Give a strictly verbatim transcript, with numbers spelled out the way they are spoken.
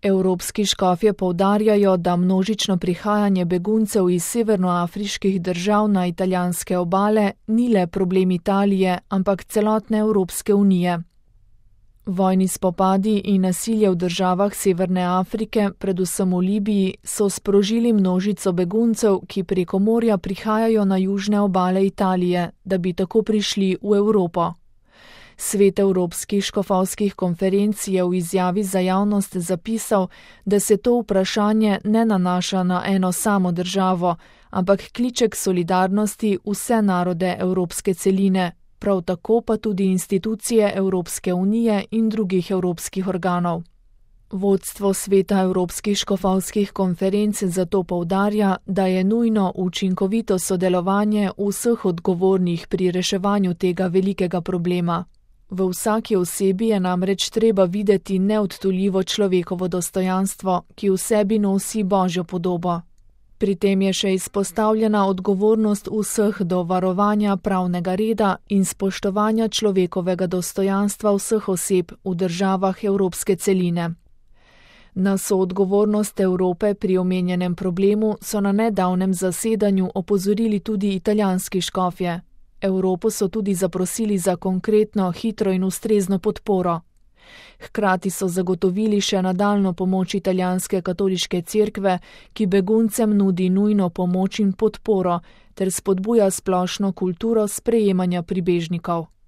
Evropski škofje poudarjajo, da množično prihajanje beguncev iz severnoafriških držav na italijanske obale ni le problem Italije, ampak celotne Evropske unije. Vojni spopadi in nasilje v državah Severne Afrike, predvsem v Libiji, so sprožili množico beguncev, ki preko morja prihajajo na južne obale Italije, da bi tako prišli v Evropo. Svet Evropskih škofovskih konferenc je v izjavi za javnost zapisal, da se to vprašanje ne nanaša na eno samo državo, ampak kliče k solidarnosti vse narode evropske celine, prav tako pa tudi institucije Evropske unije in drugih evropskih organov. Vodstvo Sveta Evropskih škofovskih konferenc zato poudarja, da je nujno učinkovito sodelovanje vseh odgovornih pri reševanju tega velikega problema. V vsaki osebi je namreč treba videti neodtujljivo človekovo dostojanstvo, ki v sebi nosi Božjo podobo. Pri tem je še izpostavljena odgovornost vseh do varovanja pravnega reda in spoštovanja človekovega dostojanstva vseh oseb v državah evropske celine. Na soodgovornost Evrope pri omenjenem problemu so na nedavnem zasedanju opozorili tudi italijanski škofje. Evropo so tudi zaprosili za konkretno, hitro in ustrezno podporo. Hkrati so zagotovili še nadaljnjo pomoč italijanske katoliške cerkve, ki beguncem nudi nujno pomoč in podporo ter spodbuja splošno kulturo sprejemanja pribežnikov.